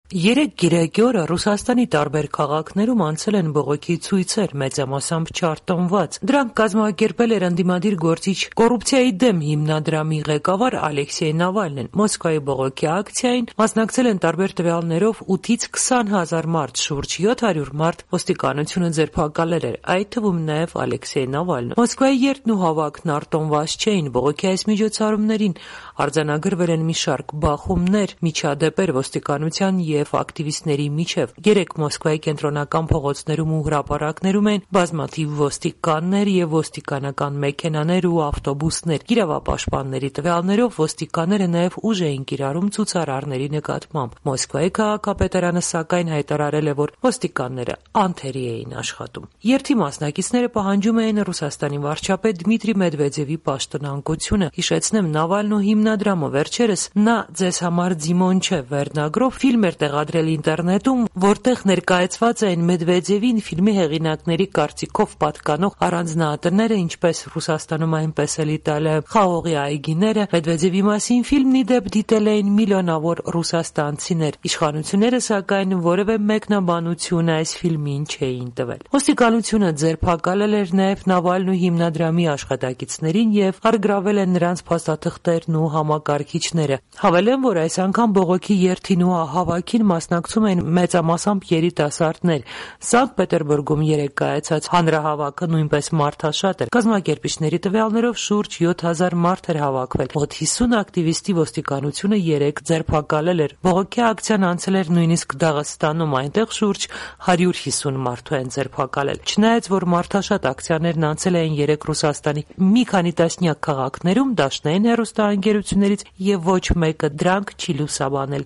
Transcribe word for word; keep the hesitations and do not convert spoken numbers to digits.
Երեկ գիրակի օրը Ռուսաստանի տարբեր քաղաքներում անցել են բողոքի ցույցեր, մեծամասամբ չարտոնված։ Դրանք կազմակերպել էր ընդդիմադիր գործիչ կոռուպցիայի դեմ հիմնադրամի ղեկավար Ալեքսեյ Նավալնին։ Մոսկվայի բողոքի ակցիային մասնակցել են տարբեր տվյալներով ութից քսան հազար մարդ, շուրջ յոթ հարյուր մարդ ոստիկանությունը ձերբակալել էր, այդ թվում նաև Ալեքսեյ Նավալնը։ Մոսկվայի երթն ու հավաքն արտոնված չէին։ Բողոքի այս միջոցառումներին արձանագրվել են մի շարք բախումներ, միջադեպեր ոստիկանության և ակտիվիստների միջև։ Երեկ Մոսկվայի կենտրոնական փողոցներում ու հրապարակներում են բազմաթիվ ոստիկաններ և ոստիկանական մեքենաներ ու ավտոբուսներ։ Իրավապաշտպանների տվյալներով ոստիկանները նաև ուժ էին կիրառում ցուցարարների նկատմամբ։ Մոսկվայի քաղաքապետարանը սակայն հայտարարել է, որ ոստիկանները անթերի էին աշխատում։ Երթի մասնակիցները պահանջում էին Ռուսաստանի վարչապետ Դմիտրի Մեդվեդևի պաշտոնանկությունը։ Հիշեցնեմ, Նավալնու հիմնադրամը վերջերս «Նա ձեզ համար Ձիմոն չէ» վերնագրով ֆիլմ էր տեղադրել ինտերնետում, որտեղ ներկայացված էին Մեդվեդևին ֆիլմի հեղինակների կարծիքով պատկանող առանձնահատները, ինչպես Ռուսաստանում, այնպես էլ Իտալիայում խաղողի այգիները։ Մեդվեդևի մասին ֆիլմն ի դեպ դիտել էին միլիոնավոր ռուսաստանցիներ։ Իշխանությունները սակայն որևէ մեկնաբանություն այս ֆիլմին չէին տվել։ Ոստիկանությունը ձերբակալել էր նաև Նավալնու հիմնադրամի աշխատակիցներին և առգրավել են նրանց փաստաթղթերն ու համակարգիչները։ Հավելեմ, որ այս անգամ բողոքի երթին ու հավաքին մասնակցում են մեծամասամբ երիտասարդներ։ Սանկտ Պետերբուրգում երեկ կայացած հանրահավաքը նույնպես մարդաշատ էր։ Կազմակերպիչների տվյալներով շուրջ յոթ հազար մարդ էր հավաքվել։ Մոտ հիսուն ակտիվիստի ոստիկանությունը երեկ ձերբակալել էր։ Բողոքի ակցիան անցել էր նույնիսկ Դաղստանում, այնտեղ շուրջ հարյուր հիսուն մարդու են ձերբակալել։ Չնայած որ մարդաշատ ակցիաներն անցել էին երեկ Ռուսաստանի մի քանի տասնյակ քաղաքներում, դաշնային հեռուստաընկերություններից և ոչ մեկը դրանք չի լուսաբանել։